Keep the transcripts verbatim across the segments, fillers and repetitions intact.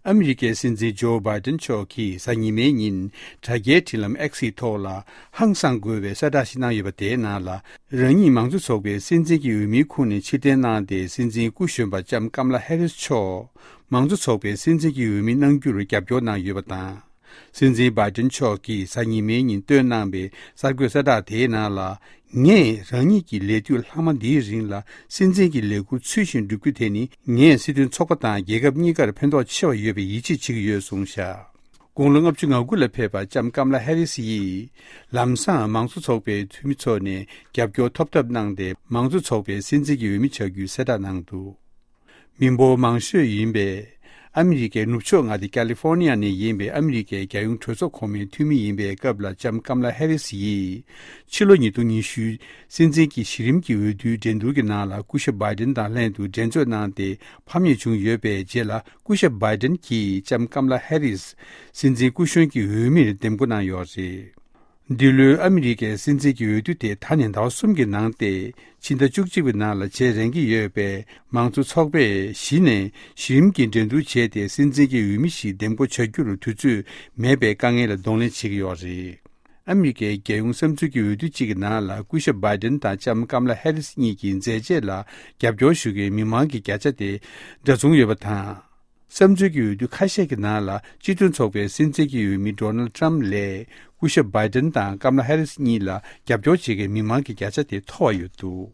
ཨ་མི་རི་ཀའི་སྲིད་འཛིན་ཇོ་བྷའི་ཏན་མཆོག་གིས་གཟའ་ཉི་མའི་ཉིན་དྲ་རྒྱའི་འཕྲིན་ལམ་X་ཡི་ཐོག་ལ་ཧང་སངས་དགོས་པའི་གསལ་བསྒྲགས་ཤིག་གནང་ཡོད་པ་དེའི་ནང་ལ། རང་ཉིད་མང་གཙོ་ཚོགས་པའི་སྲིད་འཛིན་གྱི་འོས་མིའི་ཁོངས་ནས་ཕྱིར་འཐེན་གནང་སྟེ། སྲིད་འཛིན་སྐུ་གཞོན་པ་ལྕམ་ཀམ་ལ་ཧེ་རིས་མཆོག་མང་གཙོ་ཚོགས་པའི་སྲིད་འཛིན་གྱི་འོས་མི་གནང་རྒྱུར་རྒྱབ་སྐྱོར་གནང་ཡོད་པ་དང་། སྲིད་འཛིན་བྷའི་ཏན་མཆོག་གིས་གཟའ་ཉི་མའི་ཉིན་བཏོན་གནང་བའི་གསར་འགོད་གསལ་བསྒྲགས་དེའི་ནང་ལ། ངས་རང་ཉིད་ཀྱི་ལས་དུས་ལྷག་མ་འདིའི་རིང་ལ་སྲིད་འཛིན་གྱི་ལས་འཁུར་ཚུལ་བཞིན་བསྒྲུབ་རྒྱུ་དེ་ནི། ངས་སྲིད་དོན་ཚོགས་པ་དང་རྒྱལ་ཁབ་གཉིས་ཀར་ཕན་ཐོགས་ཆེ་བ་ཡོད་པའི་ཡིད་ཆེས་བྱེད་ཀྱི་ཡོད་གསུངས་བཞག་དགུང་ལོ་ལྔ་བཅུ་ང་དགུ་ལ་ཕེབས་པ་ལྕམ་ཀམ་ལ་ཧེ་རིས་ཡིས། ལམ་སང་མང་གཙོ་ཚོགས་པའི་འཐུས་མི་ཚོ་ནས་རྒྱབ་སྐྱོར་ཐོབ་ཐབས་གནང་སྟེ། མང་གཙོ་ཚོགས་པའི་སྲིད་འཛིན་གྱི་འོས་མི་ཆགས་རྒྱུའི་གསལ་བསྒྲགས་གནང་འདུག་མི་འབོར་མང་ཤོས་ཡིན་པའི་ཨ་མི་རི་ཀའི་ནུབ་ཕྱོགས་མངའ་སྡེ་ཀ་ལི་ཧྥོ་ནི་ཡ་ནས་ཡིན་པའི་ཨ་མི་རི་ཀའི་རྒྱལ་ཡོངས་གྲོས་ཚོགས་གོང་མའི་འཐུས་མི་ཡིན་པའི་སྐབས་ལ་ལྕམ་ཀམ་ལ་ཧེ་རིས་ཡིས། ཕྱི་ལོ་ཉིས་སྟོང་ཉི་ཤུ་སྲིད་འཛིན་གྱི་གཞི་རིམ་གྱི་འོས་བསྡུའི་འགྲན་བསྡུར་གྱི་ནང་ལ་སྐུ་ཞབས་བྷའི་ཏན་དང་ལྷན་དུ་འགྲན་རྩོད་གནང་སྟེ། ཕམ་ཉེས་བྱུང་ཡོད་པའི་རྗེས་ལ། སྐུ་ཞབས་བྷའི་ཏན་གྱིས་ལྕམ་ཀམ་ལ་ཧེ་རིས་སྲིད་འཛིན་སྐུ་གཞོན་གྱི་འོས་མིར་འདེམས་བསྐོ་གནང་ཡོད་རེད། འདི་ལོའི་ཨ་མི་རི་ཀའི་སྲིད་འཛིན་གྱི་འོས་བསྡུ་དེ་ད་ནས་ཟླ་བ་གསུམ་གྱི་ནང་སྟེ། ཕྱི་ཟླ་བཅུ་གཅིག་པའི་ནང་ལ་བྱེད་རན་གྱི་ཡོད་པས། མང་གཙོ་ཚོགས་པས་གཞི་ནས་གཞི་རིམ་གྱི་འགྲན་བསྡུར་བྱས་ཏེ། སྲིད་འཛིན་གྱི་འོས་མི་ཞིག་འདེམས་བསྐོ་བྱ་རྒྱུར་དུས་ཚོད་མེད་པའི་དཀའ་ངལ་ལ་གདོང་ལེན་བྱེད་ཀྱི་ཡོད་རེད། ཨ་མི་རི་ཀའི་རྒྱལ་ཡོངས་བསམ་ཚུལ་གྱི་འོས་བསྡུ་གཅིག་གི་ནང་ལ། སྐུ་ཞབས་བྷའི་ཏན་དང་ལྕམ་ཀམ་ལ་ཧེ་རིས་གཉིས་ཀྱི་མཛད་རྗེས་ལ་རྒྱབ་སྐྱོར་ཞུ་མཁན་མི་མང་གི་བརྒྱ་ཆ་དེ་འདྲ་མཚུངས་ཡོད་པ་དང་། བསམ་ཚུལ་གྱི་འོས་བསྡུ་ཁ་ཤས་ཀྱི་ནང་ལ། སྤྱི་མཐུན་ཚོགས་པའི་སྲིད་འཛིན་གྱི་འོས་མི་ཌོ་ནལ་ཊམ་ལས། སྐུ་ཞབས་བྷའི་ཏན་དང་ཀམ་ལ་ཧེ་རིས་གཉིས་ལ་རྒྱབ་སྐྱོར་བྱེད་མཁན་མི་མང་གི་བརྒྱ་ཆ་དེ་མཐོ་བ་ཡོད་འདུག་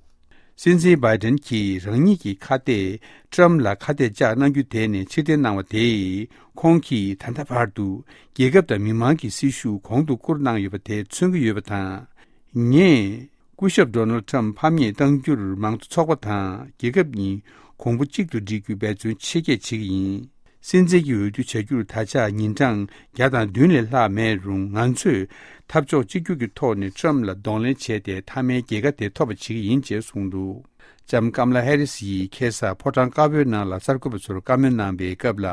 སྲིད་འཛིན་བྷའི་ཏན་གྱིས་རང་ཉིད་ཀྱི་ཁ་གཏད་ཊམ་ལ་ཁ་གཏད་བཅག་གནང་རྒྱུ་དེ་ནས་ཕྱིར་འཐེན་གནང་བ་དེས། ཁོང་གིས་ད་ལྟ་བར་དུ་རྒྱལ་ཁབ་དང་མི་མང་གི་སྲི་ཞུ་གོང་དུ་བཀུར་གནང་ཡོད་པ་དེ་མཚོན་གྱི་ཡོད་པ་དང་། ངས། སྐུ་ཞབས་ཌོ་ནལ་ཊམ་ཕམ་ཉེས་གཏང་རྒྱུར། མང་གཙོ་ཚོགས་པ་དང་རྒྱལ་ཁབ་གཉིས་གོང་བུ་གཅིག་ཏུ་སྒྲིལ་རྒྱུའི་འབད་བརྩོན་ཆེ་བསྐྱེད་བྱེད་ཀྱི་ཡིན། སྲིད་འཛིན་གྱི་འོས་བསྡུ་བྱ་རྒྱུར་ད་ཆ་ཉིན་གྲངས་བརྒྱ་དང་བདུན་ལས་ལྷག་མེད་རུང་། ང་ཚོས་འཐབ་ཕྱོགས་གཅིག་གྱུར་གྱི་ཐོག་ནས་ཊམ་ལ་གདོང་ལེན་བྱས་ཏེ། མཐའ་མའི་རྒྱལ་ཁ་དེ་ཐོབ་པ་བྱེད་ཀྱི་ཡིན་ཅེས་གསུངས་འདུག་ལྕམ་ཀམ་ལ་ཧེ་རིས་ཡིས་ཁ་སང་ཕོ་བྲང་དཀར་པོའི་ནང་ལ་གསར་འགོད་པ་ཚོར་བཀའ་མོལ་གནང་བའི་སྐབས་ལ།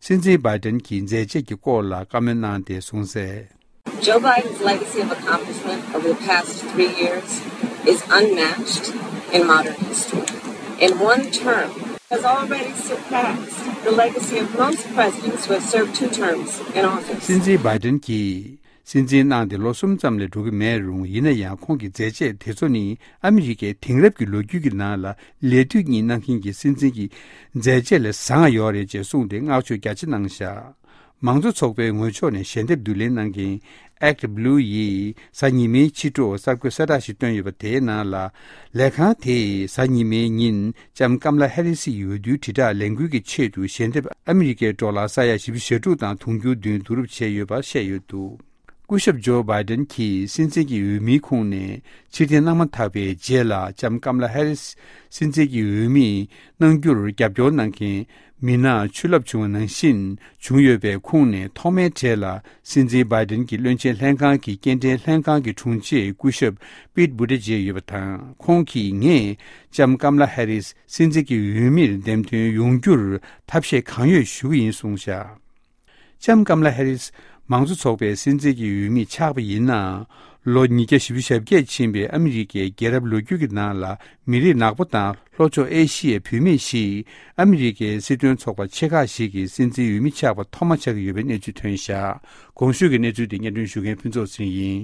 སྲིད་འཛིན་བྷའི་ཏན་གྱི་མཛད་རྗེས་ཀྱི་སྐོར་ལ་བཀའ་མོལ་གནང་སྟེ་གསུངས་གསལ། Joe Biden's legacy of accomplishment over the past three years is unmatched in modern history. In one term, has already surpassed the legacy of most presidents who have served two terms in office. སྲིད་འཛིན་བྷའི་ཏན་གྱིས་སྲིད་འཛིན་གནང་སྟེ་ལོ་གསུམ་ཙམ་ལས་འགྲོ་གི་མེད་རུང་། ཡིན་ན་ཡང་ཁོང་གི་མཛད་རྗེས་དེ་ཚོ་ནི། ཨ་མི་རི་ཀའི་དེང་རབས་ཀྱི་ལོ་རྒྱུས་ཀྱི་ནང་ལ་ལས་དུས་གཉིས་གནང་མཁན་གྱི་སྲིད་འཛིན་གྱི་མཛད་རྗེས་ལས་བཟང་ང་ཡོད་རེད་ཅེས་གསུངས་ཏེ། བསྔགས་བརྗོད་རྒྱ་ཆེ་གནང་བཞག་མང་གཙོ་ཚོགས་པའི་ངོས་ཕྱོགས་ནས་ཞལ་འདེབས་བསྡུ་ལེན་གནང་མཁན་Act Blue ཡིས་གཟའ་ཉི་མའི་ཕྱི་དྲོ་གསར་འགོད་གསལ་བསྒྲགས་ཤིག་བཏོན་ཡོད་པ། དེའི་ནང་ལ། ལས་ཁང་དེས་གཟའ་ཉི་མའི་ཉིན་ལྕམ་ཀམ་ལ་ཧེ་རི་སི་ཡི་འོས་བསྡུའི་དྲིལ་བསྒྲགས་ལས་འགུལ་གྱི་ཆེད་དུ་ཞལ་འདེབས་ཨ་མི་རི་ཀའི་ཌོ་ལར་ས་ཡ་བཞི་བཅུ་ཞེ་དྲུག་དང་དུང་ཕྱུར་བདུན་བསྡུ་རུབ་བྱས་ཡོད་པ་བཤད་ཡོད་འདུག་སྐུ་ཞབས་ཇོ་བྷའི་ཏན་གྱིས་སྲིད་འཛིན་གྱི་འོས་མིའི་ཁོངས་ནས་ཕྱིར་འཐེན་གནང་མ་ཐག་པའི་རྗེས་ལ། ལྕམ་ཀམ་ལ་ཧེ་རི་སི་སྲིད་འཛིན་གྱི་འོས་མི་གནང་རྒྱུར་རྒྱབ་སྐྱོར་གནང་མཁན་མི་སྣ་ཆུ་རླབས་བྱུང་བ་ནང་བཞིན་བྱུང་ཡོད་པའི་ཁོངས་ནས། ཐོག་མའི་གྲས་ལ་སྲིད་འཛིན་བྷའི་ཏན་གྱི་བློན་ཆེན་ལྷན་ཁང་གི་སྐྱེལ་འདྲེན་ལྷན་ཁང་གི་དྲུང་ཆེ་སྐུ་ཞབས་པིད་བུ་ཏེ་ཇེ་ཡོད་པ་དང་། ཁོང་གིས། ངས་ལྕམ་ཀམ་ལ་ཧེ་རི་སི་སྲིད་འཛིན་གྱི་འོས་མིར་འདེམས་ཐོན་ཡོང་རྒྱུར་ཐབས་ཤེས་གང་ཡོད་ཞུ་གི་ཡིན་གསུངས་བཞག་ལྕམ་ཀམ་ལ་ཧེ་རི་སི་མང་གཙོ་ཚོགས་པའི་སྲིད་འཛིན་གྱི་འོས་མི་ཆགས་པ་ཡིན་ན། ལོ་ཉིས་བརྒྱ་བཞི་བཅུ་ཞེ་བརྒྱད་ཕྱིན་པའི་ཨ་མི་རི་ཀའི་རྒྱལ་རབས་ལོ་རྒྱུས་ཀྱི་ནང་ལ། མི་རིགས་ནག་པོ་དང་ལྷོ་ཕྱོགས་ཨེ་ཤི་ཡའི་བུད་མེད་ཞིག་ཨ་མི་རི་ཀའི་སྲིད་དོན་ཚོགས་པ་ཆེ་ཁག་ཞིག་གི་སྲིད་འཛིན་འོས་མི་ཆགས་པ་ཐོག་མ་ཆགས་ཀྱི་ཡོད་པའི་གནས་ཚུལ་ཐོན་བཞག་གོང་ཞུས་ཀྱི་གནས་ཚུལ་དེ་སྙན་སྒྲོན་ཞུ་མཁན་ཕུན་ཚོགས་ཚེ་རིང་ཡིན།